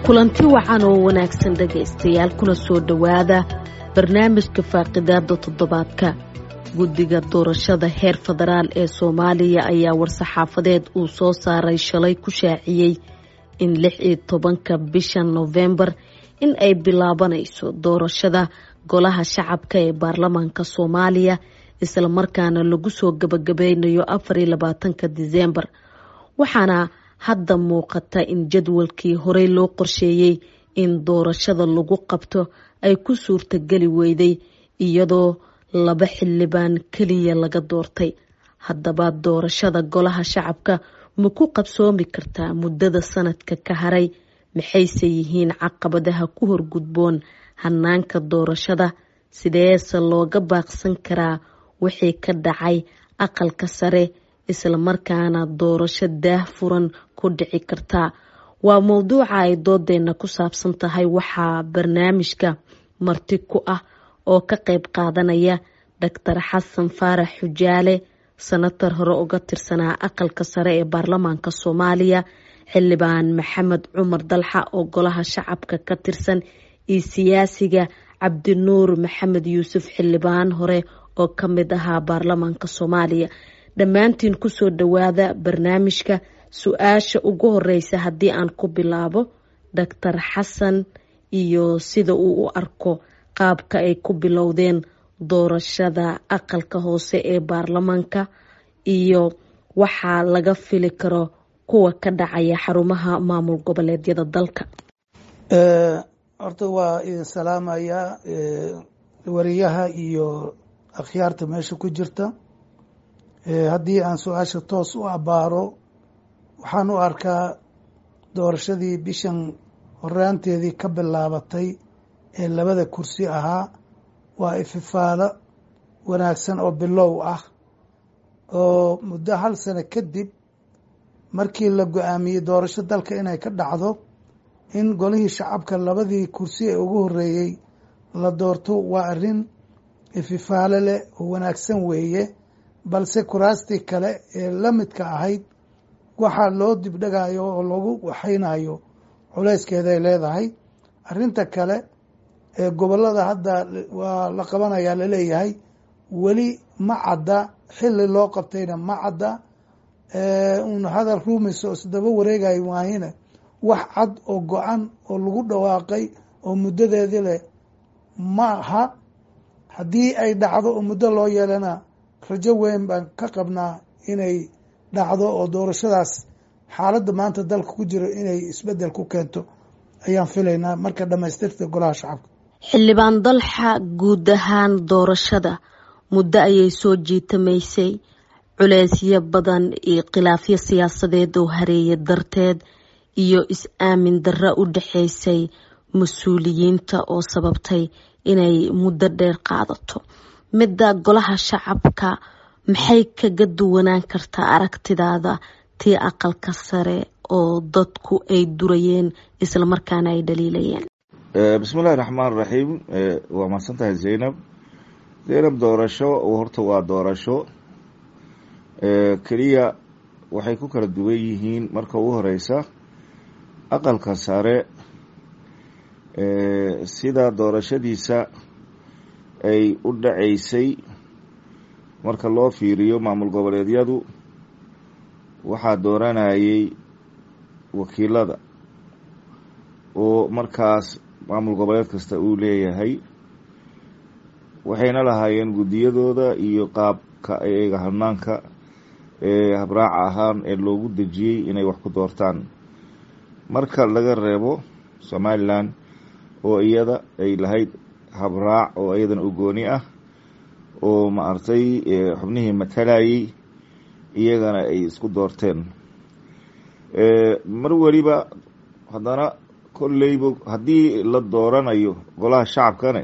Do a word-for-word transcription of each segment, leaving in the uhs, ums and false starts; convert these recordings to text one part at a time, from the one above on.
Kulanti wacan oo wanaagsan, dhegaystayaal, kuna soo dhowaada barnaamijka faaqidaada toddobaadka. Guddiga doorashada heer federaal ee Soomaaliya ayaa war-saxaafadeed uu soo saaray shalay ku shaaciyey in lix iyo tobanka bisha Novembar in ay bilaabanayso doorashada golaha shacabka ee baarlamaanka Soomaaliya, islamarkaana lagu soo gabagabeynayo afar iyo labaatanka Diseembar. Waxaana hadda muuqata in jadwalkii horey loo qorsheeyey in doorashada lagu qabto ay ku suurtageli weyday, iyadoo laba xildhibaan keliya laga doortay. Haddaba, doorashada golaha shacabka ma ku qabsoomi kartaa muddada sanadka ka haray? Maxayse yihiin caqabadaha ku horgudboon hanaanka doorashada? Sideese looga baaqsan karaa wixii ka dhacay aqalka sare, islamarkaana doorasho daah furan ku dhici kartaa? Waa mowduuca ay doodeena ku saabsan tahay. Waxaa barnaamijka marti ku ah oo ka qayb qaadanaya Doctor Xasan Faarax Xujaale, senator hore uga tirsanaa aqalka sare ee baarlamaanka Soomaaliya, xildhibaan Maxamed Cumar Dalxa oo golaha shacabka ka tirsan, iyo siyaasiga Cabdinuur Maxamed Yuusuf, xildhibaan hore oo ka mid ahaa baarlamaanka Soomaaliya. Dhammaantiin kusoo dhowaada barnaamijka. Su-aasha ugu horeysa haddii aan ku bilaabo Doctor Xasan iyo sida uu u arko qaabka ay ku bilowdeen doorashada aqalka hoose ee baarlamaanka iyo waxaa laga fili karo kuwa ka dhacaya xarumaha maamul goboleedyada dalka. Horta waa idin salaamayaa, wariyaha iyo akhyaarta meesha ku jirta. Haddii aan su-aasha toos u abaaro, waxaan u arkaa doorashadii bishan horaanteedii ka bilaabatay ee labada kursi ahaa waa ififaalo wanaagsan oo bilow ah, oo muddo hal sano kadib markii la go-aamiyey doorasho dalka inay ka dhacdo, in golihii shacabka labadii kursi ee ugu horeeyey la doorto waa arrin ififaalo leh oo wanaagsan weeye. Balse kuraastii kale ee la midka ahayd waxaa loo dibdhegayo oo lagu waxaynayo culeyskeeday leedahay. Arrinta kale ee gobolada hadda waa la qabanayaa laleeyahay, weli ma cadda, xilli loo qabtayna ma cadda. Un hadal ruumayso oo isdaba wareegayo maahine, wax cad oo go-an oo lagu dhawaaqay oo muddadeedii leh ma aha. Haddii ay dhacdo oo muddo loo yeelana, rajo weyn baan ka qabnaa inay dhacdo oo doorashadaas xaaladda maanta dalka ku jiro inay isbeddel ku keento ayaan filaynaa marka dhamaystirta golaha shacabka. Xildhibaan Dalxa, guud ahaan doorashada muddo ayay soo jiitamaysay, culeysyo badan iyo khilaafyo siyaasadeed oo hareeya darteed iyo is-aamin darro u dhexeysay mas-uuliyiinta oo sababtay inay muddo dheer qaadato. Midda golaha shacabka maxay kaga duwanaan kartaa aragtidaada tii aqalka sare oo dadku ay durayeen islamarkaana ay dhaliilayeen? Bismillahi raxmaan raxiim. Waa mahadsan tahay, Zaynab. Zaynab, doorasho horta waa doorasho, keliya waxay ku kala duwan yihiin marka ugu horeysa aqalka sare sida doorashadiisa ay u dhaceysay marka loo fiiriyo maamul goboleedyadu, waxaa dooranayay wakiilada oo markaas maamul goboleed kasta uu leeyahay, waxayna lahaayeen guddiyadooda iyo qaabka iyaga hanaanka ee habraaca ahaan ee loogu dejiyey inay wax ku doortaan, marka laga reebo Somaliland oo iyada ay lahayd habraac oo iyadana u gooni ah oo maaragtay xubnihii matalayay iyagana ay isku doorteen. Mar weliba haddana kolleyba haddii la dooranayo golaha shacabkane,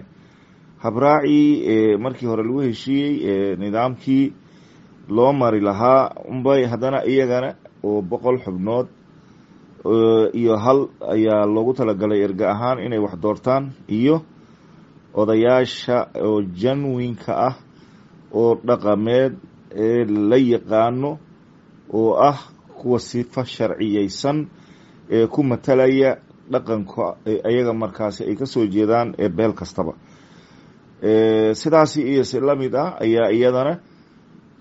habraacii markii hore lagu heshiiyey, nidaamkii loo mari lahaa unbay haddana iyagana oo boqol xubnood iyo hal ayaa loogu talagalay erga ahaan inay wax doortaan iyo Odayaasha oo janwinka ah oo dhaqameed ee la yaqaano oo ah kuwa sifa sharciyeysan ee ku matalaya dhaqanka ayaga markaasi ay kasoo jeedaan ee beel kastaba. Sidaasi iyo si lamid ah ayaa iyadana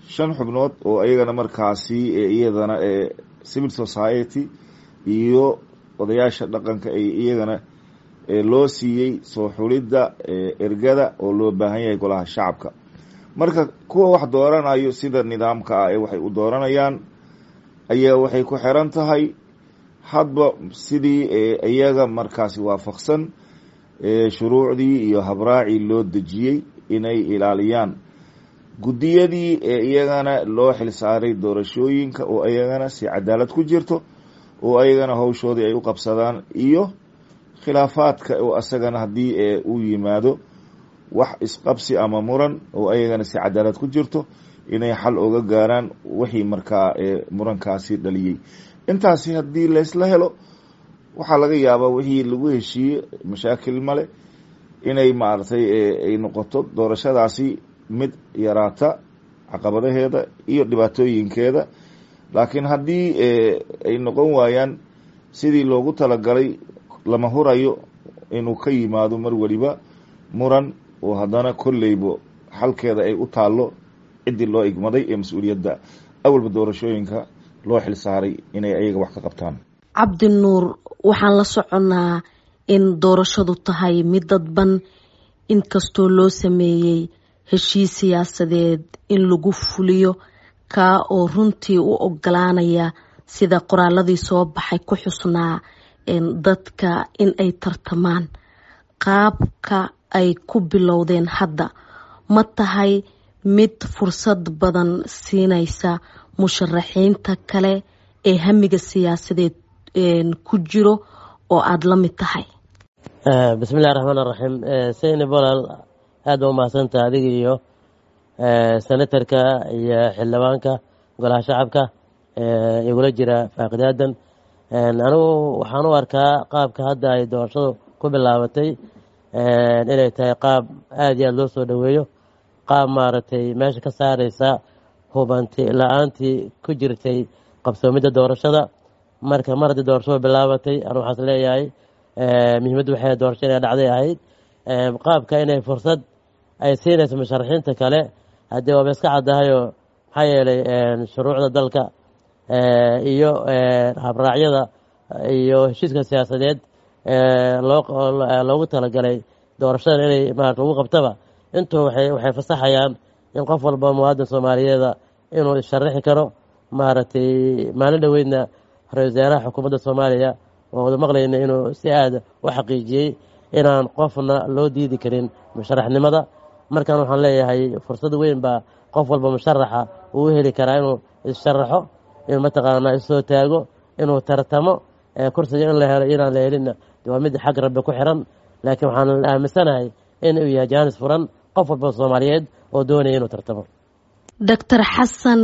shan xubnood oo ayagana markaasi iyadana civil society iyo odayaasha dhaqanka ay iyagana loo siiyey soo xulidda ergada oo loo baahan yahay golaha shacabka. Marka kuwa wax dooranayo sida nidaamka ah ee waxay u dooranayaan ayaa waxay ku xiran tahay hadba sidii iyaga markaasi waafaqsan shuruucdii iyo habraacii loo dejiyey inay ilaaliyaan. Guddiyadii ee iyagana loo xilsaaray doorashooyinka oo iyagana si cadaalad ku jirto oo ayagana hawshoodii ay u qabsadaan, iyo khilaafaadka oo asagana haddii uu yimaado wax isqabsi ama muran oo ayagana si cadaalad ku jirto inay xal oga gaaraan wixii markaa murankaasi dhaliyey. Intaasi haddii laysla helo, waxaa laga yaabaa wixii lagu heshiiyey mashaakil male inay maaragtay ay noqoto doorashadaasi mid yaraata caqabadaheeda iyo dhibaatooyinkeeda. Laakiin haddii ay noqon waayaan sidii loogu talagalay, lama hurayo inuu ka yimaado mar waliba muran oo haddana kolleybo xalkeeda ay u taallo ciddii loo igmaday ee mas-uuliyadda awalba doorashooyinka loo xil saaray inay ayaga wax ka qabtaan. Cabdinuur, waxaan la soconnaa in doorashadu tahay mid dadban, inkastoo loo sameeyey heshiis siyaasadeed in lagu fuliyo, kaa oo runtii u ogolaanaya sida qoraaladii soo baxay ku xusnaa dadka in ay tartamaan. Qaabka ay ku bilowdeen hadda ma tahay mid fursad badan siinaysa musharaxiinta kale ee hamiga siyaasadeed ku jiro oo aada la mid tahay? Bismillahi raxmaan raxiim. Saynab walaal, aad baa umahadsantaha adiga iyo senatarka iyo xildhibaanka golaha shacabka igula jira faaqidaadan. Anigu waxaan u arkaa qaabka hadda ay doorashadu ku bilaabatay inay tahay qaab aada iyo aada loo soo dhoweeyo, qaab maaragtay meesha ka saareysa hubanti la-aantii ku jirtay qabsoomidda doorashada. Marka mar haddii doorashadu bilaabatay, anu waxaas leeyahay muhiimaddu waxay doorasho inay dhacday ahayd. Qaabka inay fursad ay siinayso musharaxiinta kale haddii waaba iska caddahayoo, maxaa yeelay shuruucda dalka iyo habraacyada iyo heshiiska siyaasadeed loo loogu talagalay doorashadan inay maarata lagu qabtaba intuu waxay waxay fasaxayaan in qof walba muwaadin soomaaliyeeda inuu issharaxi karo. Maaragtay maalin dhoweydna ra-isul wasaaraha xukuumadda Soomaaliya oo wada maqlayna inuu si aada u xaqiijiyey inaan qofna loo diidi karin musharaxnimada. Markan waxaan leeyahay fursad weyn baa qof walba musharaxa uu heli karaa inuu issharaxo, inuu mataqaanaa issoo taago, inuu tartamo. Kursiga in la helo inaan la helinna waa mid xag Rabbi ku xiran, laakiin waxaan aaminsanahay in uu yahay jaanis furan qof walba soomaaliyeed oo doonaya inuu tartamo. Doctor Xasan,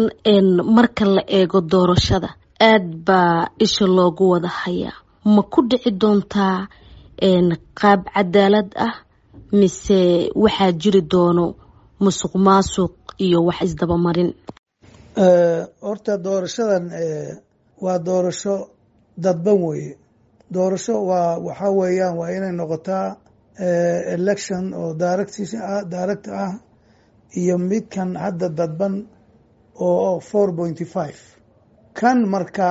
marka la eego doorashada aada baa isha loogu wada hayaa, ma ku dhici doontaa qaab cadaalad ah mise waxaa jiri doono musuq maasuq iyo wax isdabamarin? Horta doorashadan waa doorasho dadban weeye. Doorasho waa waxaa weeyaan waa inay noqotaa election oo direct direct ah iyo midkan hadda dadban oo four pointy five kan. Marka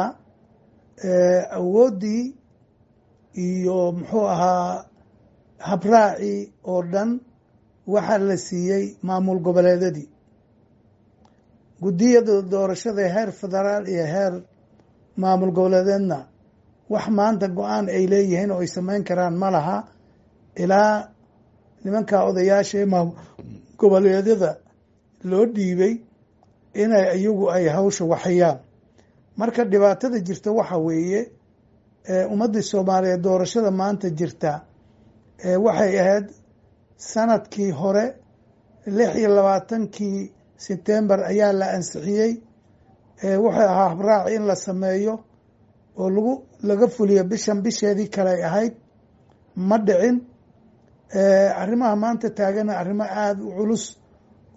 awooddii iyo muxuu ahaa habraacii oo dhan waxaa la siiyey maamul goboleedadii. Guddiyada doorashada heer federaal iyo heer maamul goboleedeedna wax maanta go-aan ay leeyihiin oo ay samayn karaan ma laha ilaa nimanka odayaasha ee maamul goboleedyada loo dhiibay inay iyagu ay hawsha waxayaan. Marka dhibaatada jirta waxa weeye, ummaddii Soomaaliyeed doorashada maanta jirta waxay ahayd sanadkii hore lix iyo labaatankii Sebtembar ayaa la ansixiyey. Wuxuu ahaa habraaci in la sameeyo oo lagu laga fuliyo bishan bisheedii kale ay ahayd, ma dhicin. Arrimaha maanta taagana arrimo aada u culus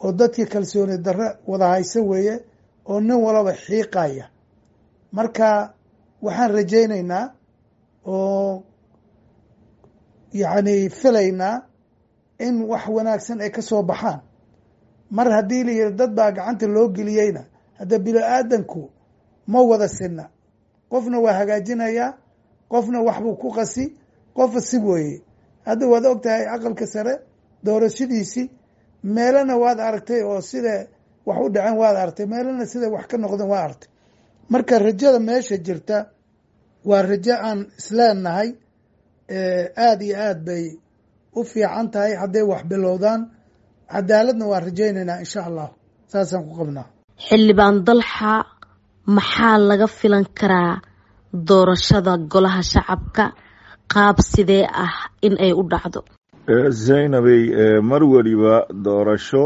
oo dadkii kalsooni darre wada haysa weeye, oo nin walaba xiiqaya. Marka waxaan rajaynaynaa oo yacni filaynaa in wax wanaagsan ay ka soo baxaan. Mar haddii la yihi dad baa gacanta loo geliyeyna, hadda bini-aadanku ma wada sinna. Qofna waa hagaajinayaa, qofna waxbuu ku qasi, qofa si weeye. Hadda waad og tahay Aqalka Sare doorashadiisii, meelana waad aragtay oo sida wax u dhaceen waad aragtay, meelana sida wax ka noqdeen waad aragtay. Marka rajada meesha jirta waa rajo aan isleenahay aada iyo aad bay u fiican tahay hadday wax bilowdaan. Cadaaladna waan rajaynaynaa, insha Allah, saasaan ku qabnaa. Xildhibaan Dalxa, maxaa laga filan karaa doorashada Golaha Shacabka, qaab sidee ah in ay u dhacdo? Zaynabey, mar weliba doorasho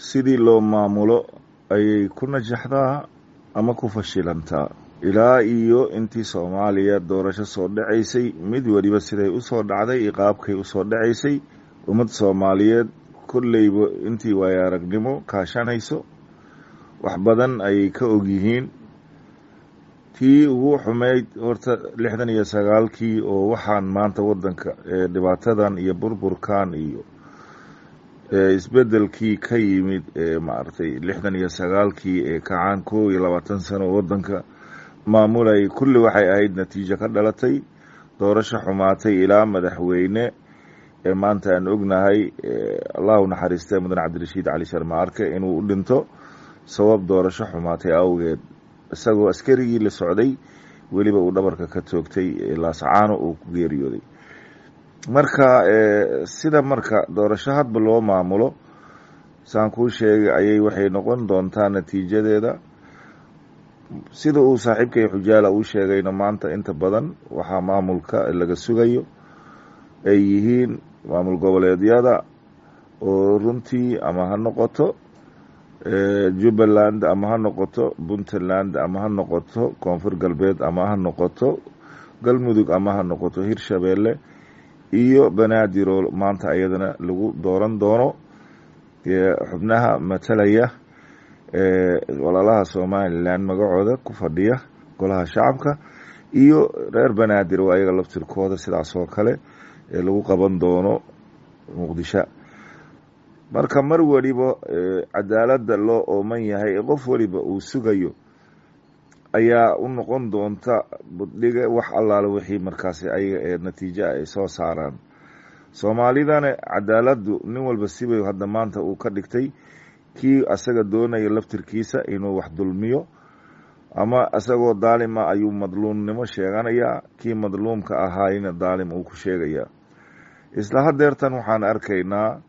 sidii loo maamulo ayay ku najaxdaa ama ku fashilantaa. Ilaa iyo intii Soomaaliya doorasho soo dhacaysay, mid weliba siday usoo dhacday iyo qaabkay usoo dhacaysay, ummad Soomaaliyeed kolleyba intii waayo aragnimo kaashanayso wax badan ayay ka ogyihiin. Tii ugu xumeyd horta lixdan iyo sagaalkii, oo waxaan maanta waddanka dhibaatadan iyo burburkan iyo isbedelkii ka yimid maaragtay lixdan iyo sagaalkii ee kacaan kow iyo labaatan sano waddanka maamulayay, kulli waxay ahayd natiijo ka dhalatay doorasho xumaatay, ilaa madaxweyne ee maanta aan ognahay, Allahu naxariistee, Mudan Cabdirashiid Cali Sharma Arke, inuu u dhinto sabab doorasho xumaatay awgeed, isagoo askarigii la socday weliba uu dhabarka ka toogtay, Laasacaano uu ku geeriyooday. Marka sida marka doorasho hadba loo maamulo, saan kuu sheegay, ayay waxay noqon doontaa natiijadeeda. Sida uu saaxiibkay Xujaala uu sheegayna, maanta inta badan waxaa maamulka laga sugayo ay yihiin maamul goboleedyada, oo runtii ama ha noqoto Jubbaland ama ha noqoto Puntland ama ha noqoto Koonfur Galbeed ama ha noqoto Galmudug ama ha noqoto Hirshabeelle iyo Banaadir, oo maanta ayadana lagu dooran doono xubnaha matalaya walaalaha Somaliland magacooda ku fadhiya Golaha Shacabka, iyo reer Banaadir oo ayaga laftirkooda sidaas oo kale lagu qaban doono Muqdisho. Marka mar weliba cadaaladda loo ooman yahay ee qof weliba uu sugayo ayaa u noqon doonta buddhiga wax allaale wixii markaasi ayaga ee natiijo ay soo saaraan. Soomaalidana cadaaladdu nin walba sibay hadda maanta uu ka dhigtay. Kii asaga doonaya laftirkiisa inuu wax dulmiyo ama isagoo daalima ayuu madluumnimo sheeganayaa, kii madluumka ahaayna daalim uu ku sheegayaa. Isla hadeertan waxaan arkaynaa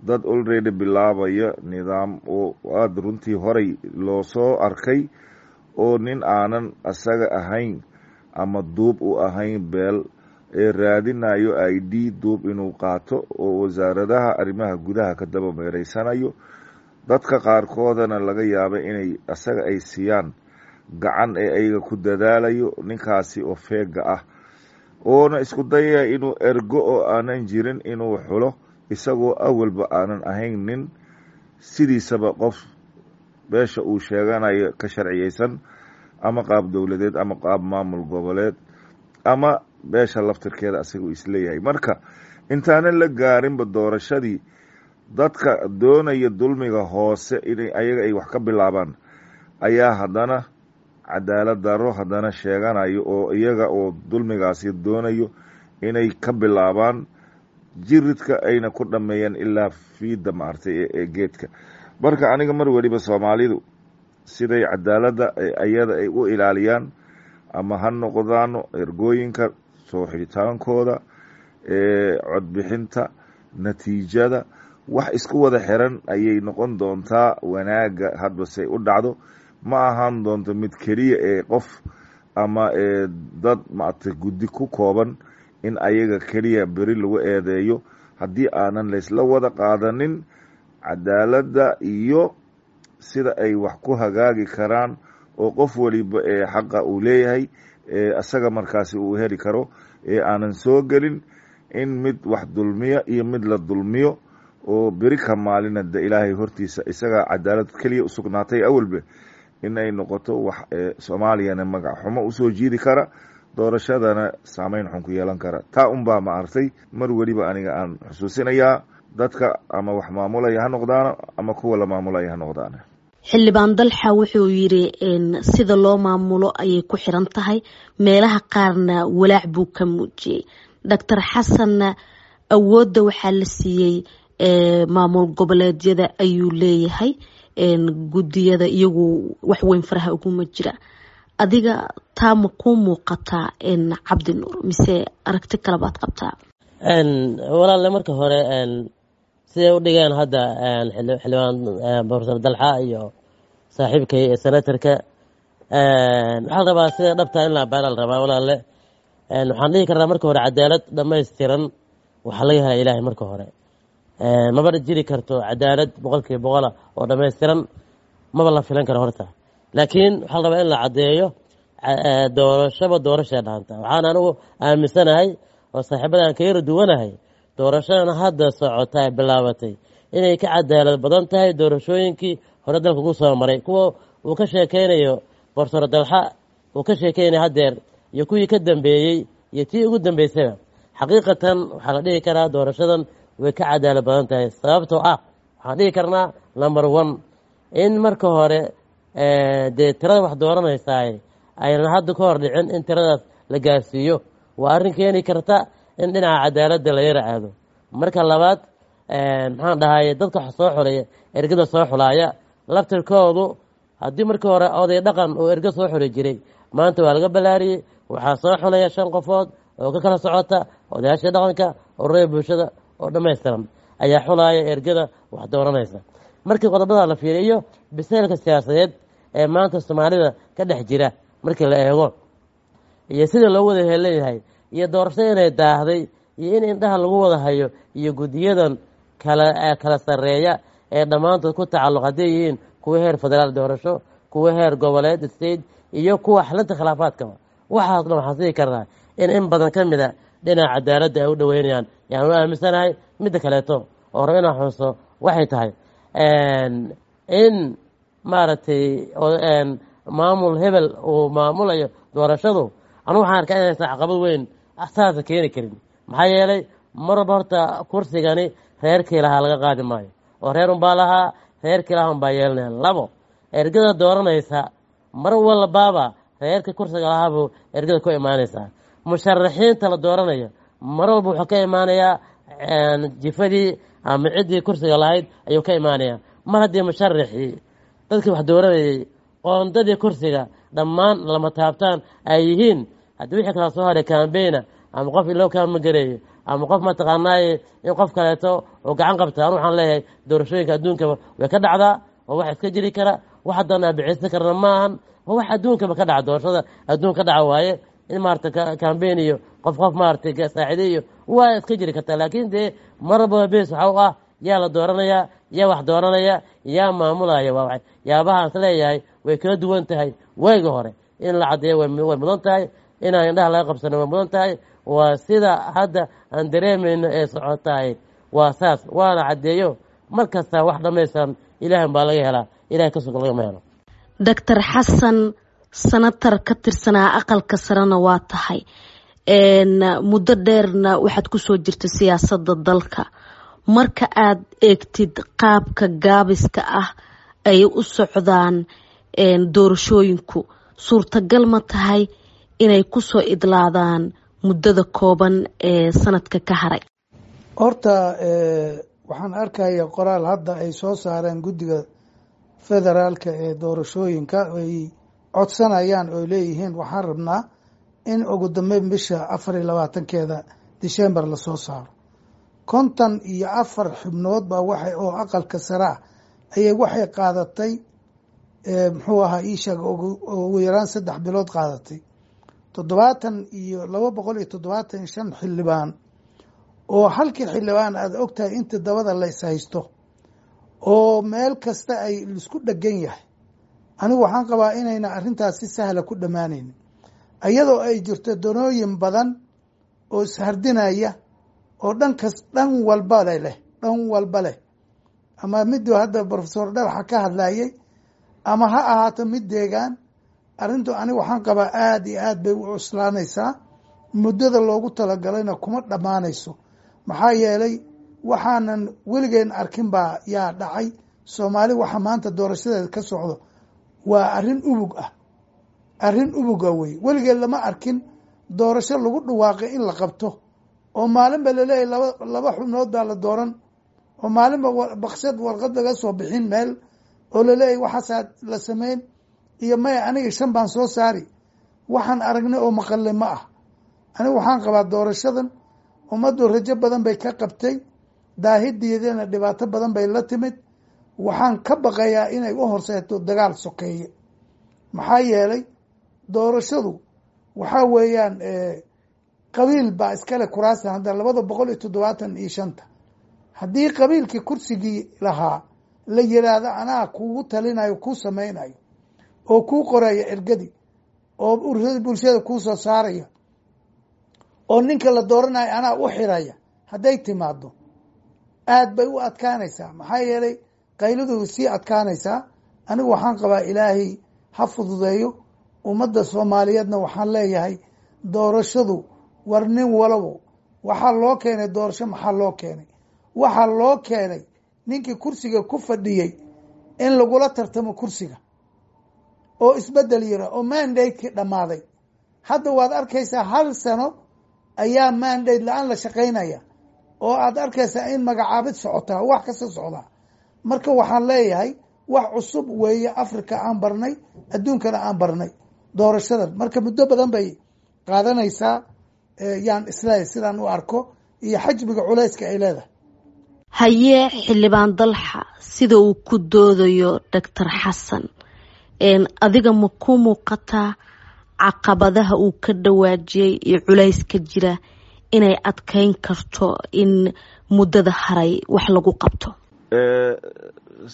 dad already bilaabaya nidaam oo aada runtii horay loo soo arkay, oo nin aanan asaga ahayn ama duub u ahayn beel ee raadinayo I D duub inuu qaato, oo wasaaradaha arrimaha gudaha ka daba meereysanayo. Dadka qaarkoodana laga yaaba inay asaga ay siiyaan gacan ee ayaga ku dadaalayo ninkaasi oo feega ah, oona isku dayaya inuu ergo oo aanan jirin inuu xulo, isagoo awalba aanan ahayn nin sidiisaba qof beesha uu sheeganayo ka sharciyeysan, ama qaab dowladeed ama qaab maamul goboleed ama beesha laftirkeeda asagoo isleeyahay. Marka intaanan la gaarinba doorashadii, dadka doonaya dulmiga hoose inay ayaga ay wax ka bilaabaan ayaa haddana cadaalad daro haddana sheeganayo, oo iyaga oo dulmigaasi doonayo inay ka bilaabaan jiridka ayna ku dhameeyaan ilaa fiida maartay ee geedka. Marka aniga mar weliba Soomaalidu siday cadaaladda ayada ay u ilaaliyaan, ama ha noqdaano ergooyinka soo xidhitaankooda, codbixinta, natiijada, wax isku wada xiran ayay noqon doontaa. Wanaagga hadba say u dhacdo, ma ahaan doonto mid keliya ee qof ama dad maaragtay guddi ku kooban in ayaga keliya beri lagu eedeeyo, haddii aanan laysla wada qaadanin cadaaladda iyo sida ay wax ku hagaagi karaan, oo qof waliba ee xaqa uu leeyahay isaga markaasi uu heli karo, ee aanan soo gelin In mid wax dulmiya iyo mid la dulmiyo oo beri ka maalina de Ilaahay hortiisa isagaa cadaalad keliya usugnaatay awalbe, in ay noqoto wax Soomaaliyana magac xumo usoo jiidi kara, doorashadana saameyn xun ku yeelan kara. Taa unbaa ma artay mar weliba aniga aan xusuusinayaa dadka, ama wax maamulaya ha noqdaana ama kuwa la maamulaya ha noqdaana. Xildhibaan Dalxa wuxuu yiri sida loo maamulo ayay ku xiran tahay, meelaha qaarna walaac buu ka muujiyey. Doctor Xasanna awoodda waxaa la siiyey maamul goboleedyada ayuu leeyahay, guddiyada iyagu wax weyn faraha uguma jira. Adiga taa ma kuu muuqataa, Cabdi Nuur, mise aragti kale baad qabtaa? Walaalle, marka hore siday u dhigeen hadda xildhibaan Professor Dalxa iyo saaxiibkay ee senatorka, waxaa la rabaa sida dhabtaa in la abaara la rabaa. Walaalle, waxaan dhihi karnaa marka hore cadaalad dhammaystiran waxaa laga helaa Ilaahay. Marka hore maba jiri karto cadaalad boqolkiiba boqola oo dhammaystiran, maba la filan karo horta, laakiin waxaa la rabaa in la caddeeyo doorashaba doorashay dhaanta. Waxaan anigu aaminsanahay oo saaxiibadan ka yara duwanahay, doorashadan hadda socota ee bilaabatay inay ka cadaalad badan tahay doorashooyinkii hore dalka ku soo maray, kuwa uu ka sheekeynayo Professor Dalxa uu ka sheekeynaya haddeer iyo kuwii ka dambeeyey iyo tii ugu dambeysayba. Xaqiiqatan waxaa la dhihi karaa doorashadan way ka cadaalad badan tahay, sababtoo ah waxaan dhihi karnaa number one in marka hore dee tirada wax dooranaysaay aynan hadda ka hor dhicin in tiradaas la gaarsiiyo, waa arrin keeni karta in dhinaca cadaaladda la yara aado. Marka labaad, maxaan dhahay, dadka wax soo xulaya, ergada soo xulaaya laftirkoodu, haddii markii hore oday dhaqan uu ergo soo xuli jiray, maanta waa laga ballaariyey. Waxaa soo xulaya shan qofood oo ka kala socota odayaasha dhaqanka, ururada bulshada oo dhammaystiran ayaa xulaaya ergada wax dooranaysa. Markii qodobada la fiiriyo, biseylka siyaasadeed ee maanta Soomaalida ka dhex jira markii la eego iyo sida loo wada heleyahay iyo doorashada inay daahday iyo in indhaha lagu wada hayo iyo guddiyadan kala kala sarreeya ee dhammaantood ku tacalluq, hadday yihiin kuwa heer federaal doorasho, kuwa heer goboleed state iyo kuwa xalinta khilaafaadkaba, waxaas dhan waxaan sii karnaa in in badan ka mid a dhinaca cadaaladda ay u dhoweynayaan yaan u aaminsanahay. Midda kaleeto oo raba inaan xuso waxay tahay in maaragtay maamul hebel uu maamulayo doorashadu, anu waxaan arkaa inaysan caqabad weyn saasa keeni karin, maxaa yeelay mar walba horta kursigani reerkii lahaa laga qaadi maayo oo reer unbaa lahaa, reerkii lahaa unbaa yeelanaya. Labo, ergada dooranaysa mar walbaaba reerkii kursiga lahaabuu ergada ku imaanaysaa. Musharaxiinta la dooranayo mar walba wuxuu ka imaanayaa jifadii ama ciddii kursiga lahayd ayuu ka imaanayaa. Mar haddii musharaxii, dadkii wax dooranayay, qoondadii kursiga dhammaan lama taabtaan ay yihiin, haddii wixii kala soo haray kambayna ama qof loo kaamagareeyo ama qof mataqaanaaye in qof kaleeto oo gacan qabta, anu waxaan leeyahay doorashooyinka adduunkaba way ka dhacdaa oo wax iska jiri kara, wax haddana bixisa karna maahan, waa wax adduunkaba ka dhaca, doorashada adduun ka dhaca waaye. In maarata kambayn iyo qof qof maaratay saacide iyo waa iska jiri kartaa, laakiin dee mar walbaba bes waxa u ah yaa la dooranayaa, yaa wax dooranaya, yaa maamulaya. Waa yaabahaan is leeyahay way kala duwan tahay waagi hore. In la caddeeyo way mudan tahay, inaan indhaha laga qabsano way mudan tahay. Waa sida hadda aan dareemayno ee socotahay waa saas, waana caddeeyo. Mar kasta wax dhammaystiran Ilaahan baa laga helaa, Ilahay ka sugan lagama helo. Doctor Xasan, sanatar ka tirsanaa aqalka sarena waa tahay, muddo dheerna waxaad kusoo jirta siyaasadda dalka. Marka aad eegtid qaabka gaabiska ah ay u socdaan doorashooyinku, suurtagal ma tahay inay kusoo idlaadaan muddada kooban ee sanadka ka haray? Horta waxaan arkaya qoraal hadda ay soo saareen guddiga federaalka ee doorashooyinka, ay codsanayaan oo leeyihiin waxaan rabnaa in ugu dambeyn bisha afar iyo labaatankeeda December lasoo saaro. Konton iyo afar xubnood baa waxay oo aqalka sare ah ayay waxay qaadatay, muxuu ahaa iisheeg, ugu yaraan saddex bilood qaadatay. Toddobaatan iyo laba boqol iyo toddobaatan iyo shan xildhibaan oo halkii xildhibaan aada ogtahay inta dabada la is haysto oo meel kasta ay isku dhegan yahay, anigu waxaan qabaa inayna arrintaas si sahla ku dhammaanaynin, iyadoo ay jirto danooyin badan oo ishardinaya oo dhankas dhan walba leh, dhan walba leh, ama miduu hadda Professor Dhalaxa ka hadlayay ama ha ahaato mid deegaan. Arrintu aniga waxaan qabaa aada iyo aad bay u cuslaanaysaa, muddada loogu talagalayna kuma dhammaanayso. Maxaa yeelay waxaanan weligeen arkin baa yaa dhacay Soomaali. Waxa maanta doorashadeeda ka socdo waa arrin ubug ah, arrin ubuga wey. Weligeed lama arkin doorasho lagu dhawaaqay in la qabto oo maalinba laleeyahy laba laba xubnood baa la dooran, oo maalinba baksad warqad laga soo bixin meel oo laleeyahy waxaasaa la sameyn iyo maya aniga shan baan soo saari. Waxaan aragnay oo maqalay ma ah. Aniga waxaan qabaa doorashadan ummaddu rajo badan bay ka qabtay, daahideedana dhibaato badan bay la timid. Waxaan ka baqayaa inay u horseeto dagaal sokeeye. Maxaa yeelay doorashadu waxaa weeyaan qabiil baa iskale kuraasta hadda labada boqol iyo toddobaatan iyo shanta. Haddii qabiilkii kursigii lahaa la yiraahdo anaa kugu talinayo, kuu sameynayo oo kuu qoraya ergadi oo bulshada kuu soo saaraya oo ninka la dooranayo anaa u xiraya, hadday timaado aad bay u adkaanaysaa. Maxaa yeelay qayladu sii adkaanaysaa. Anigu waxaan qabaa Ilaahay ha fududeeyo. Ummadda Soomaaliyeedna waxaan leeyahay doorashadu war nin walabo waxaa loo keenay doorasho. Maxaa loo keenay? Waxaa loo keenay ninkii kursiga ku fadhiyey in lagula tartamo kursiga oo isbedel yira oo mandate-kii dhammaaday. Hadda waad arkaysaa hal sano ayaa mandate la-aan la shaqaynaya oo aad arkaysaa in magacaabid socotaa, wax kasta socdaa. Marka waxaan leeyahay wax cusub weeye Africa aan barnay, adduunkana aan barnay doorashadan. Marka muddo badan bay qaadanaysaa yaan isleeyahay sidaan u arko iyo xajmiga culayska ay leedahay. Haye Xildhibaan Dalxa, sida uu ku doodayo Doctor Xasan, adiga ma ku muuqataa caqabadaha uu ka dhawaajiyey iyo culayska jira inay adkeyn karto in muddada haray wax lagu qabto?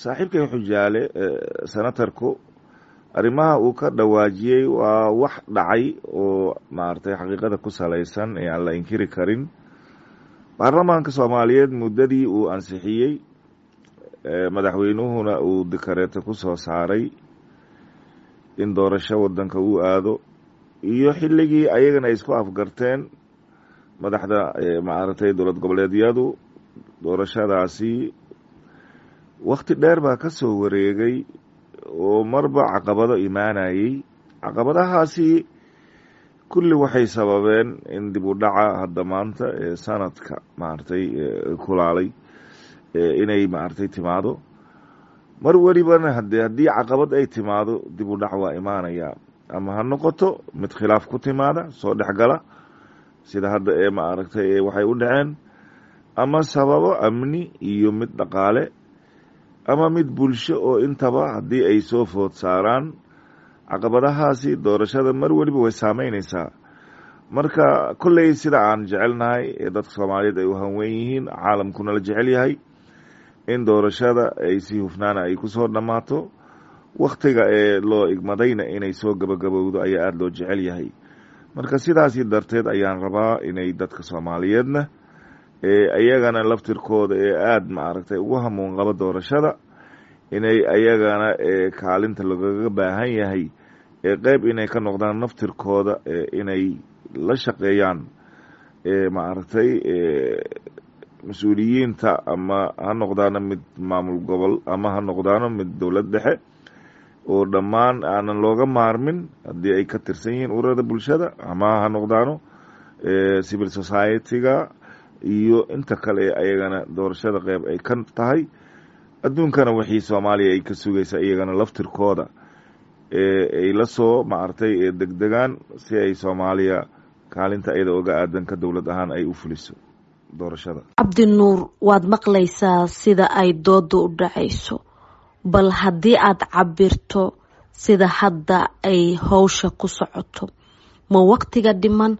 Saaxiibkay Xujaale, senatarku arrimaha uu ka dhawaajiyey waa wax dhacay oo maaragtay xaqiiqada ku salaysan ee aan la inkiri karin. Baarlamaanka Soomaaliyeed muddadii uu ansixiyey, madaxweynuhuna uu dikareeto ku soo saaray in doorasho wadanka uu aado, iyo xilligii ayagana ay isku afgarteen madaxda maaragtay dowlad goboleedyadu doorashadaasi, wakti dheer baa ka soo wareegay oo marba caqabado imaanayey. Caqabadahaasi kulli waxay sababeen in dib u dhaca hadda maanta ee sanadka maaragtay kulaalay inay maaragtay timaado. Mar welibana hade haddii caqabad ay timaado dib u dhac waa imaanaya, ama ha noqoto mid khilaaf ku timaada soo dhexgala sida hadda ee maaragtay waxay u dhaceen, ama sababo amni iyo mid dhaqaale ama mid bulsho oo intaba haddii ay soo food saaraan caqabadahaasi doorashada mar weliba way saameyneysaa. Marka kolley sida aan jecelnahay ee dadka Soomaaliyeed ay u hanweyn yihiin, caalamkuna la jecel yahay in doorashada ay si hufnaana ay kusoo dhammaato, wakhtiga ee loo igmadayna inay soo gabagabowdo ayaa aada loo jecel yahay. Marka sidaasi darteed ayaan rabaa inay dadka Soomaaliyeedna ee ayagana laftirkooda ee aada maaragtay ugu hamuun qabo doorashada inay ayagana kaalinta lagaga baahan yahay ee qeyb inay ka noqdaan naftirkooda, inay la shaqeeyaan maaragtay mas-uuliyiinta, ama ha noqdaano mid maamul gobol ama ha noqdaano mid dowlad dhexe, oo dhammaan aanan looga maarmin haddii ay ka tirsan yihiin ururada bulshada ama ha noqdaano civil society-ga iyo inta kale ee ayagana doorashada qeyb ay ka tahay. Adduunkana wixii Soomaaliya ay ka sugaysa iyagana laftirkooda ay la soo maaragtay degdegaan si ay Soomaaliya kaalinta iyada oga aadan ka dowlad ahaan ay u fuliso doorashada. Cabdinuur, waad maqlaysaa sida ay dooda u dhacayso. Bal haddii aad cabirto sida hadda ay howsha ku socoto, ma waqtiga dhiman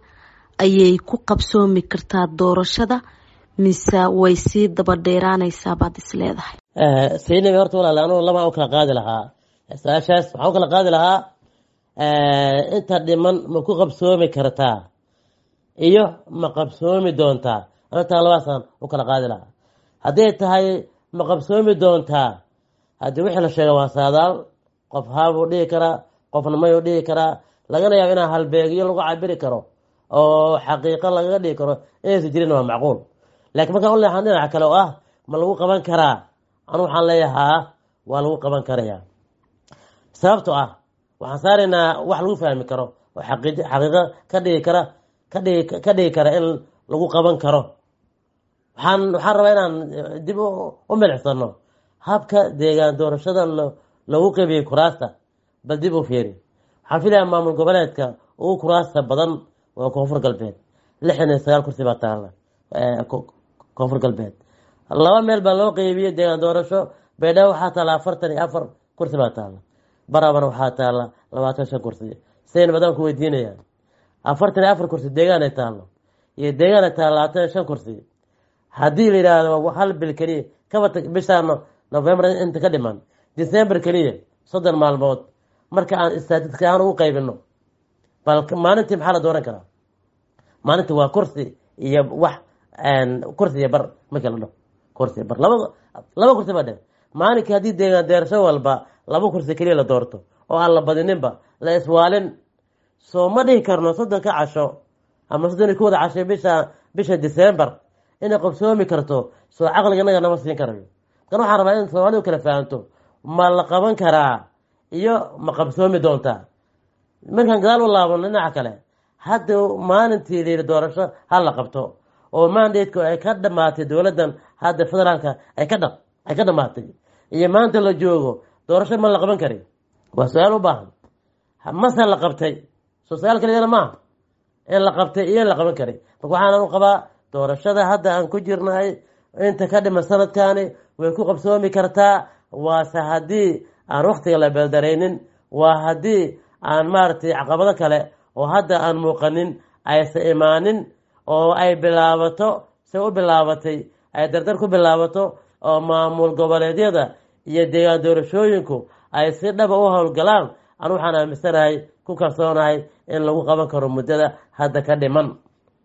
ayay ku qabsoomi kartaa doorashada mise way sii daba dheeraanaysaa baad is leedahay? Saynabi, horta walaal, anugu labaan u kala qaadi lahaa su-aashaas. Waxaan u kala qaadi lahaa inta dhiman ma ku qabsoomi kartaa iyo ma qabsoomi doontaa. Anataa labaasaan u kala qaadi lahaa. Hadday tahay ma qabsoomi doontaa, haddii wixii la sheega waa saadaal, qof haabuu dhihi karaa, qofna mayuu dhihi karaa, lagana yaabo inaa halbeegyo lagu cabiri karo oo xaqiiqo lagaga dhigi karo inaysa jirin, waa macquul. Laakiin markaan u leexan dhinaca kale oo ah ma lagu qaban karaa, anu waxaan leeyahaa waa lagu qaban karayaa. Sababto ah waxaan saaraynaa wax lagu fahmi karo oo xaqii xaqiiqo ka dhigi kara kadhigi ka dhigi kara in lagu qaban karo. Waxaan waxaan rabaa inaan dib u milicsano habka deegaan doorashada lagu qeybiyey kuraasta. Bal dib u fiiri, waxaan filayaa maamul goboleedka ugu kuraasta badan waa Koonfur Galbeed, lixdan iyo sagaal kursi baa taalla Koonfur Galbeed. Laba meel baa loo qeybiyey deegaan doorasho. Baydhabo waxaa taalla afartan iyo afar kursi baa taalla, Barabana waxaa taalla labaatan shan kursi. Sayn badan ku weydiinayaan, afartan iyo afar kursi deegaan ay taallo iyo deegaan ay taalla labaatan iyo shan kursi, haddii la yidhaahdo hal bil keliya kaba bishaa November inta ka dhiman, December keliya soddon maalmood, marka aan istaatiska ahaan ugu qaybino, bal maalintii maxaa la dooran karaa? Maalintii waa kursi iyo wax, kursi iyo bar. Markii la dhaho kursi iyo bar, laba laba kursi baa dhe maalinkii. Haddii deegaan deerasho walba laba kursi keliya la doorto oo aan la badininba la iswaalin, soo ma dhihi karno soddonka casho ama soddon iyo kowda casho bisha bisha December inay qabsoomi karto? Soo caqliga inaga nama siin karayo. Kan waxaan rabaa in Soomaalidu kala fahanto ma la qaban karaa iyo ma qabsoomi doontaa. Markaan gadaal u laabano dhinaca kale, hadda maalintii layidhi doorasho ha la qabto oo mandateku ay ka dhamaatay dowladdan hadda federaalka ay ka dha ay ka dhamaatay iyo maanta la joogo, doorasho ma la qaban kari? Waa su-aal u baahan. Mase la qabtay? Soo su-aal kaliyana maaha in la qabtay iyo in la qaban kari. Marka waxaan u qabaa doorashada hadda aan ku jirnahay inta ka dhiman sanadkani way ku qabsoomi kartaa, waase haddii aan waktiga la beeldaraynin, waa haddii aan maaragtay caqabado kale oo hadda aan muuqanin aysa imaanin oo ay bilaabato se u bilaabatay, ay dardar ku bilaabato oo maamul goboleedyada iyo deegaan doorashooyinku ay si dhaba u howlgalaan. Anu waxaan aaminsanahay, ku kalsoonahay in lagu qaban karo muddada hadda ka dhiman,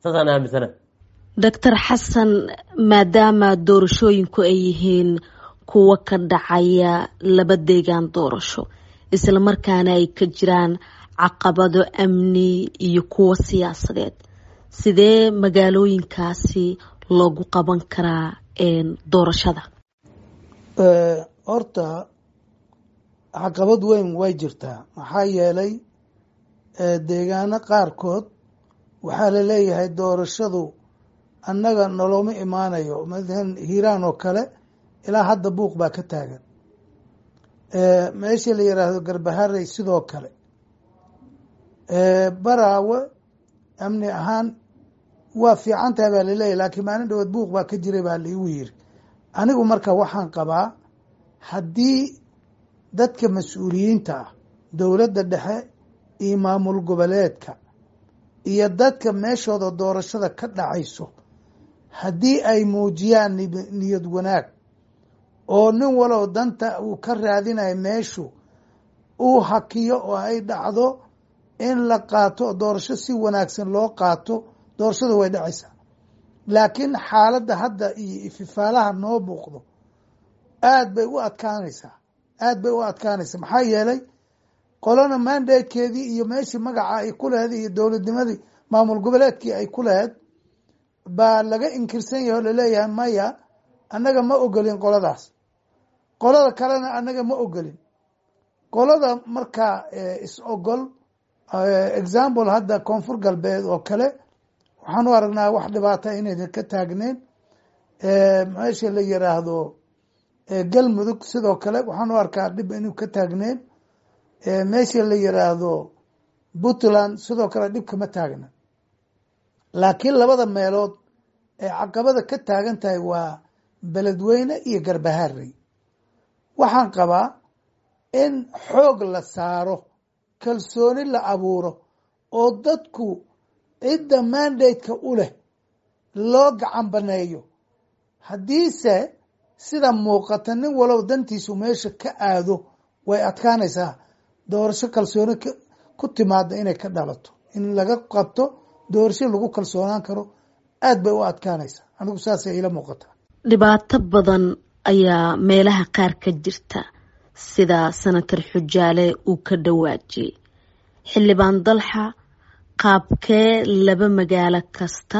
saasaan aaminsanahay. Doctor Xasan, maadaama doorashooyinku ay yihiin kuwo ka dhacaya laba deegaan doorasho, islamarkaana ay ka jiraan caqabado amni iyo kuwo siyaasadeed, sidee magaalooyinkaasi loogu qaban karaa doorashada? Horta caqabad weyn way jirtaa, maxaa yeelay deegaano qaarkood waxaa la leeyahay doorashadu annaga noloma imaanayo. Mathalan Hiiraan oo kale ilaa hadda buuq baa ka taagan. Meesha la yiraahdo Garbaharey sidoo kale, Baraawe amni ahaan waa fiican tahay baa laleeyahy, laakiin maalin dhawood buuq baa ka jiray baa laigu yiri. Anigu marka waxaan qabaa haddii dadka mas-uuliyiinta ah, dowladda dhexe iyo maamul goboleedka iyo dadka meeshooda doorashada ka dhacayso, haddii ay muujiyaan niyad wanaag oo nin walow danta uu ka raadinayo meeshu uu hakiyo oo ay dhacdo in la qaato doorasho si wanaagsan loo qaato, doorashada way dhacaysaa. Laakiin xaaladda hadda iyo ififaalaha noo muuqdo aad bay u adkaanaysaa, aad bay u adkaanaysaa, maxaa yeelay qolana mandatekeedii iyo meeshii magaca ay ku laheyd iyo dowladnimadii maamul goboleedkii ay ku laheyd baa laga inkirsan yahay oo laleeyahay maya, annaga ma ogolin qoladaas, qolada kalena annaga ma ogolin qolada. Markaa is ogol, example hadda Koonfur Galbeed oo kale, waxaan u aragnaa wax dhibaata inaynan ka taagneyn. Meesha la yiraahdo Galmudug sidoo kale waxaan u arkaa dhib inuu ka taagneyn. Meesha la yiraahdo Puntland sidoo kale dhib kama taagna. Laakiin labada meelood ee caqabada ka taagan tahay waa Beledweyne iyo Garbaharey. Waxaan qabaa in xoog la saaro, kalsooni la abuuro oo dadku cidda mandate-ka u leh loo gacan baneeyo. Haddiise sida muuqata nin walow dantiisu meesha ka aado, way adkaanaysaa doorasho kalsooni ku timaada inay ka dhalato, in laga qabto doorasho lagu kalsoonaan karo aad bay u adkaanaysaa. Anigu saasay ila muuqataa. Dhibaato badan ayaa meelaha qaar ka jirta, sida Senator Xujaale uu ka dhawaajiyey. Xildhibaan Dalxa, qaabkee laba magaalo kasta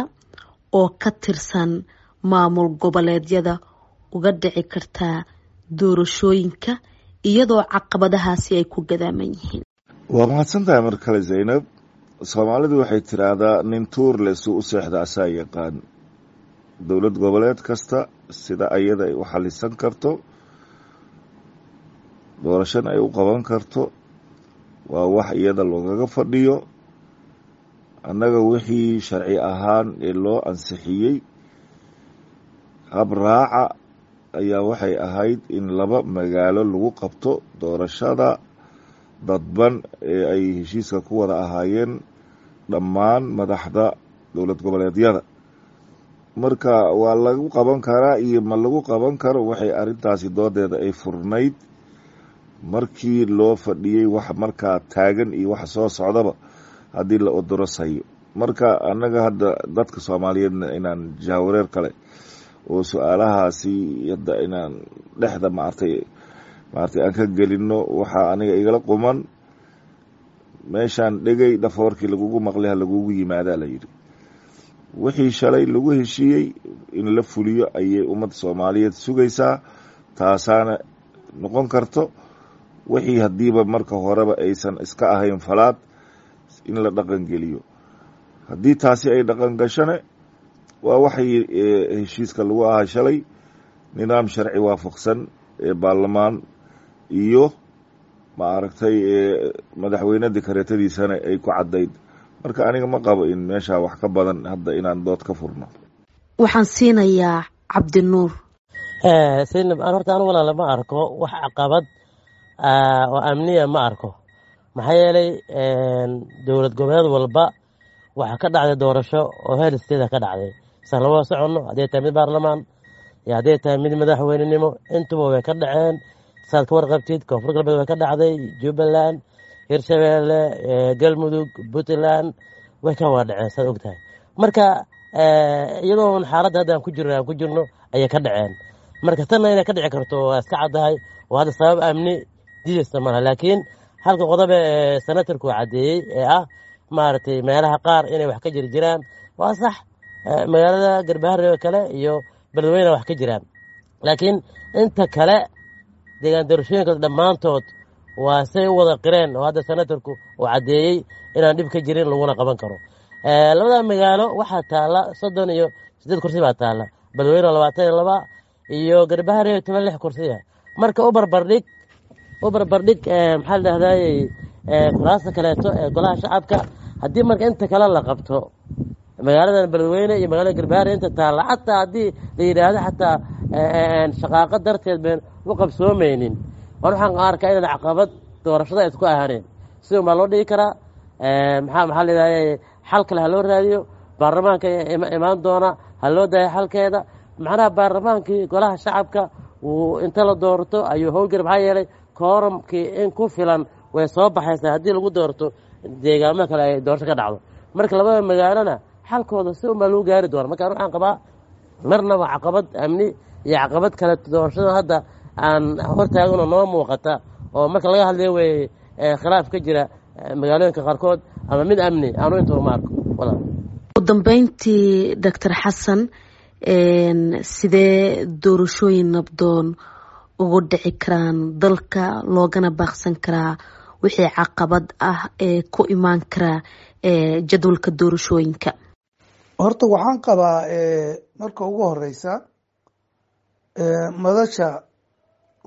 oo ka tirsan maamul goboleedyada uga dhici kartaa doorashooyinka iyadoo caqabadahaasi ay ku gadaaman yihiin? Waa mahadsan tahay mar kale, Zaynab. Soomaalidu waxay tiraahdaa nin tuur le suu u seexda asaa yaqaan. Dowlad goboleed kasta sida ayada ay u xalisan karto doorashana ay u qaban karto waa wax iyada loogaga fadhiyo. Annaga wixii sharci ahaan ee loo ansixiyey habraaca ayaa waxay ahayd in laba magaalo lagu qabto doorashada dadban ee ay heshiiska ku wada ahaayeen dhammaan madaxda dowlad goboleedyada. Marka waa lagu qaban karaa iyo ma lagu qaban karo, waxay arrintaasi doodeeda ay furnayd markii loo fadhiyey wax markaa taagan iyo waxa soo socdaba haddii la odorosayo. Marka annaga hadda dadka Soomaaliyeedna inaan jaawareer kale oo su-aalahaasi hadda inaan dhexda maartay maartay aan ka gelino, waxaa aniga igala quman meeshaan dhegay dhafoorkii lagugu maqlay ha lagugu yimaadaa la yidhi. Wixii shalay lagu heshiiyey in la fuliyo ayay ummadda Soomaaliyeed sugaysaa, taasaana noqon karto wixii haddiiba marka horeba aysan iska ahayn falaad in la dhaqan geliyo. Haddii taasi ay dhaqan gashone, waa waxay heshiiska lagu ahaa shalay, nidaam sharci waafaqsan ee baarlamaan iyo ma aragtay madaxweyne dikareetadiisana ay ku caddayd. Marka aniga ma qabo in meeshaa wax ka badan hadda inaan dood ka furno. Waxaan siinayaa Cabdinuur. Saynab, an horta anu walaala ma arko wax caqabad oo amniya, ma arko. Maxaa yeelay dowlad goboleed walba waxaa ka dhacday doorasho oo heer state ka dhacday, san lama soconno. Hadday tahay mid baarlamaan iyo hadday tahay mid madaxweynenimo, intuba way ka dhaceen, saad ka warqabtid. Koonfur Galbeed way ka dhacday, Jubbaland, Hirshabeelle, Galmudug, Puntland way ka wada dhaceen, saad og tahay. Marka iyadoon xaaladda hadda aan ku jirno aan ku jirno ayay ka dhaceen. Marka tanna inay ka dhici karto waa iska caddahay, oo hadda sabab amni diidaysa malaha. Laakiin halka qodobe ee senatarku caddeeyey ee ah maaragtay meelaha qaar inay wax ka jiri jiraan waa sax. Magaalada Garbaharre oo kale iyo Beledweyne wax ka jiraan, laakiin inta kale deegaan doorashooyinka dhammaantood waa say u wada qireen oo hadda senatarku uu caddeeyey inaan dhib ka jirin laguna qaban karo. Labada magaalo waxaa taalla soddon iyo siddeed kursi baa taalla, Beledweyne labaatan iyo laba iyo Garbaharre toban lix kursiya. Marka u barbardhig u barbardhig maxaa la dhahdaayey kuraasta kaleeto ee golaha shacabka. Haddii marka inta kale la qabto, magaaladan Beledweyne iyo magaalada Garbaharre inta taalla, xataa haddii la yidhaahdo xataa shaqaaqo darteed been u qabsoomaynin, waan waxaan arkaa inaan caqabad doorashada ay isku ahaaneen. Sidun baa loo dhigi karaa. Maxaa maxaa la yidhahday, xal kale ha loo raadiyo, baarlamaanka imaan doona ha loo daayo xalkeeda. Macnaha baarlamaankii golaha shacabka wuu inta la doorto ayuu howlgari, maxaa yeelay kooramkii in ku filan way soo baxaysaa haddii lagu doorto deegaamo kale ay doorasho ka dhacdo. Marka labada magaalona xalkooda si unbaa lagu gaari doona. Marka waxaan qabaa marnaba caqabad amni iyo caqabad kale doorashada hadda aan hortaaganoo noo muuqata oo marka laga hadlayo wey khilaaf ka jira magaalooyinka qaarkood ama mid amni aanu intaba ma arko walaal. Ugu dambeyntii, Doctor Xasan, sidee doorashooyin nabdoon ugu dhici karaan dalka loogana baaqsan karaa wixii caqabad ah ee ku imaan karaa jadwalka doorashooyinka? Horta waxaan qabaa marka ugu horeysa madasha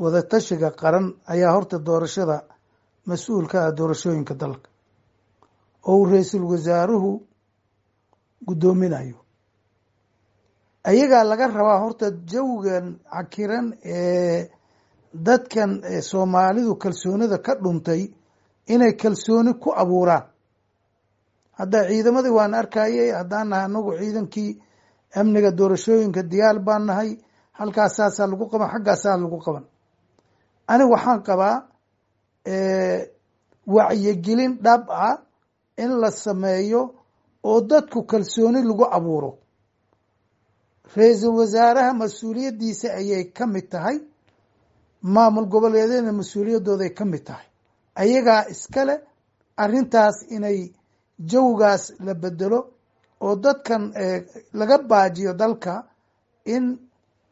wadatashiga qaran ayaa horta doorashada mas-uul ka ah, doorashooyinka dalka oo uu ra-iisul wasaaruhu guddoominayo. Ayagaa laga rabaa horta jawigan cakiran ee dadkan Soomaalidu kalsoonida ka dhuntay inay kalsooni ku abuuraan. Hadda ciidamadii waan arkayay, haddaan nahay anagu ciidankii amniga doorashooyinka diyaar baan nahay, halkaasaasaa lagu qaban, xaggaasaa lagu qaban. Aniga waxaan qabaa wacyigelin dhab ah in la sameeyo oo dadku kalsooni lagu abuuro. Ra-iisul wasaaraha mas-uuliyaddiisa ayay ka mid tahay, maamul goboleedyadna mas-uuliyaddooday ka mid tahay. Ayagaa iskale arrintaas inay jawgaas la bedelo oo dadkan laga baajiyo dalka in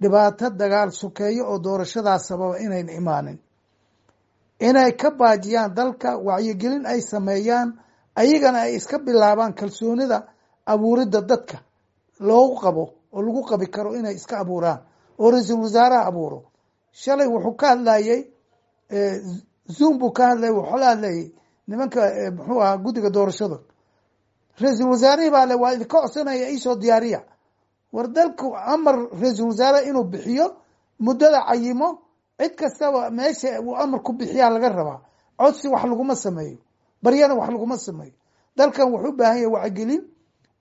dhibaato dagaal sokeeyo oo doorashadaas sababa inayna imaanin, inay ka baajiyaan dalka, wacyigelin ay sameeyaan, ayagana ay iska bilaabaan kalsoonida abuuridda dadka loogu qabo oo lagu qabi karo inay iska abuuraan oo ra-iisul wasaaraha abuuro. Shalay wuxuu ka hadlayey Zoom buu ka hadlayay, wuxuu la hadlayay nimanka muxuu ahaa guddiga doorashada. Ra-iisul wasaarihii baa le waa idinka codsanaya iisoo diyaariya. War dalku amar ra-iisul wasaare inuu bixiyo muddada cayimo, cid kastaba meesha uu amar ku bixiyaa laga rabaa. Codsi wax laguma sameeyo, baryana wax laguma sameeyo. Dalkan wuxuu u baahan yahay wacyigelin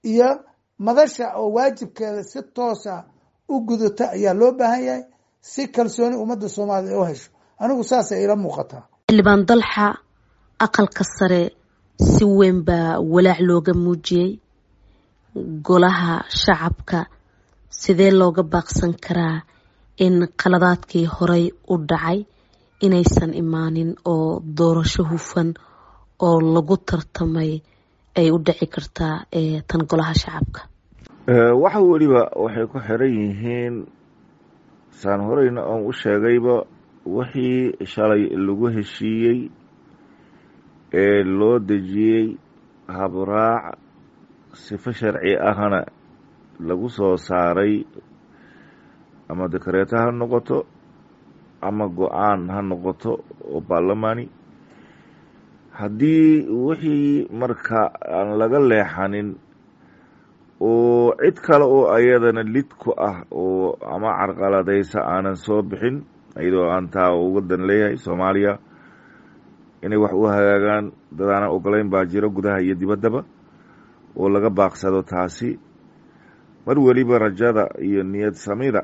iyo madasha oo waajibkeeda si toosa u gudata ayaa loo baahan yahay si kalsooni ummadda Soomaaliya u hesho. Anigu saasay ila muuqataa. Xildhibaan Dalxa, aqalka sare si weyn baa walaac looga muujiyey. Golaha shacabka sidee looga baaqsan karaa in qaladaadkii horey u dhacay inaysan imaanin oo doorasho hufan oo lagu tartamay ay u dhici kartaa tan golaha shacabka? Waxa weliba waxay ku xiran yihiin, saan horeyna oon u sheegayba, wixii shalay lagu heshiiyey ee loo dejiyey habraac sifo sharci ahna lagu soo saaray, ama dekareeto ha noqoto ama go-aan ha noqoto oo baarlamaani. Haddii wixii marka aan laga leexanin oo cid kale oo ayadana lid ku ah oo ama carqaladaysa aanan soo bixin, iyadoo aan taa uga dan leeyahay Soomaaliya inay wax u hagaagaan, dad aanan ogolayn baa jiro gudaha iyo dibaddaba, oo laga baaqsado taasi. Mar weliba rajada iyo niyad samida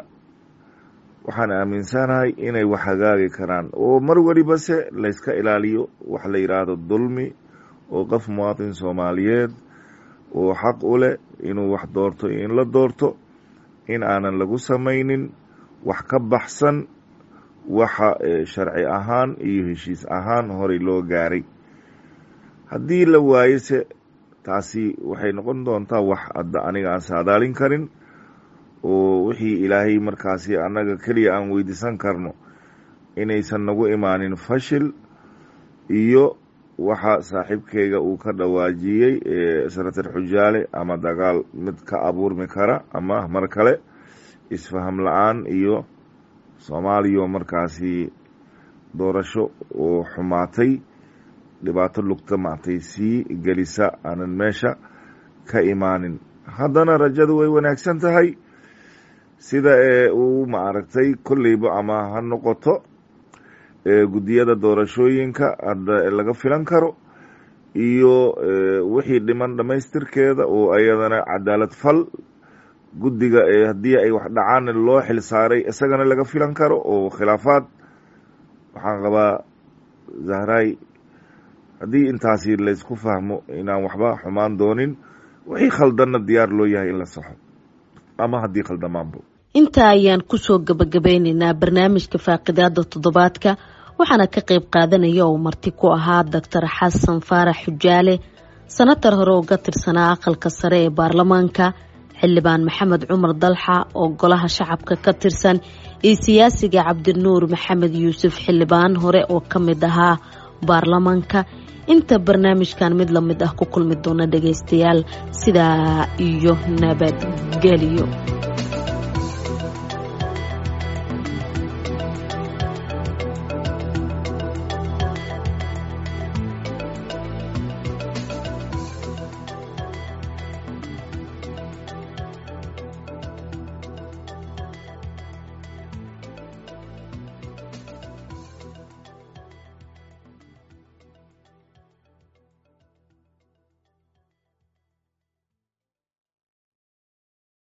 waxaan aaminsanahay inay wax hagaagi karaan, oo mar weliba se layska ilaaliyo wax la yidhaahdo dulmi, oo qof muwaatin Soomaaliyeed oo xaq u leh inuu wax doorto iyo in la doorto in aanan lagu samaynin wax ka baxsan waxa sharci ahaan iyo heshiis ahaan horey loo gaaray. Haddii la waayose taasi waxay noqon doontaa wax hadda aniga aan saadaalin karin, oo wixii Ilaahay markaasi annaga keliya aan weydiisan karno inaysan nagu imaanin fashil iyo waxa saaxiibkeyga uu ka dhawaajiyey senator Xujaale, ama dagaal mid ka abuurmi kara ama mar kale isfaham la-aan iyo Soomaaliya markaasi doorasho oo xumaatay, dhibaato lugta maatay sii gelisa aanan meesha ka imaanin. Haddana rajadu way wanaagsan tahay sida ee uu maaragtay kolleyba ama ha noqoto guddiyada doorashooyinka hadda laga filan karo iyo wixii dhiman dhammaystirkeeda oo ayadana cadaalad fal guddiga haddii ay wax dhacaan loo xil saaray isagana laga filan karo oo khilaafaad. Waxaan qabaa Zahray, haddii intaasi laysku fahmo inaan waxba xumaan doonin, wixii khaldanna diyaar loo yahay in la saxo ama haddii khaldamaanbo. Intaa ayaan kusoo gabagabeyneynaa barnaamijka faaqidaada toddobaadka, waxaana ka qayb qaadanaya oo marti ku ahaa Doctor Xasan Faarax Xujaale, sanatar hore uga tirsanaa aqalka sare ee baarlamaanka, xildhibaan Maxamed Cumar Dalxa oo golaha shacabka ka tirsan, iyo siyaasiga Cabdinuur Maxamed Yuusuf, xildhibaan hore oo ka mid ahaa baarlamaanka. Inta barnaamijkan mid lamid ah ku kulmi doona dhagaystayaal, sidaa iyo nabadgelyo.